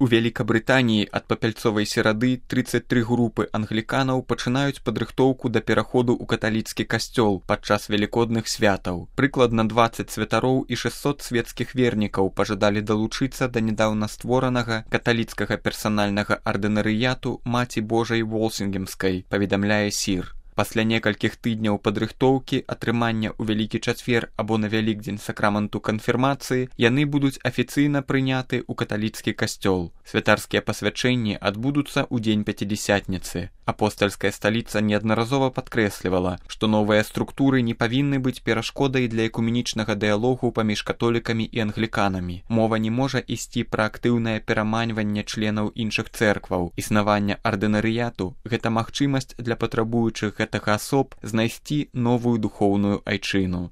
У Великабрытаніі ад папяльцовай серады 33 групы англіканаў пачынаюць падрыхтоўку да пераходу ў каталіцкі касцёл падчас велікодных святаў. Прыкладна 20 святароў і 600 свецкіх вернікаў пажадалі далучыцца да нядаўна створанага каталіцкага персанальнага ардынарыяту Маці Божай Волсінгемскай, паведамляе СІР. Пасля некалькіх тыдняў падрыхтоўкі, атрымання ў Вялікі чацвер або на Вялікдзень сакраменту канфірмацыі, яны будуць афіцыйна прыняты ў каталіцкі касцёл. Святарскія пасвячэнні адбудуцца ў дзень Пяцідзясятніцы. Апостальская сталіца неаднаразова падкрэслівала, што новыя структуры не павінны быць перашкодай для экуменічнага дыялогу паміж католікамі і англіканамі. Мова не можа ісці пра актыўнае пераманьванне членаў іншых цэркваў. Існаванне ардынарыяту – гэта магчымасць для патрабуючых гэтага асоб знайсці новую духоўную айчыну.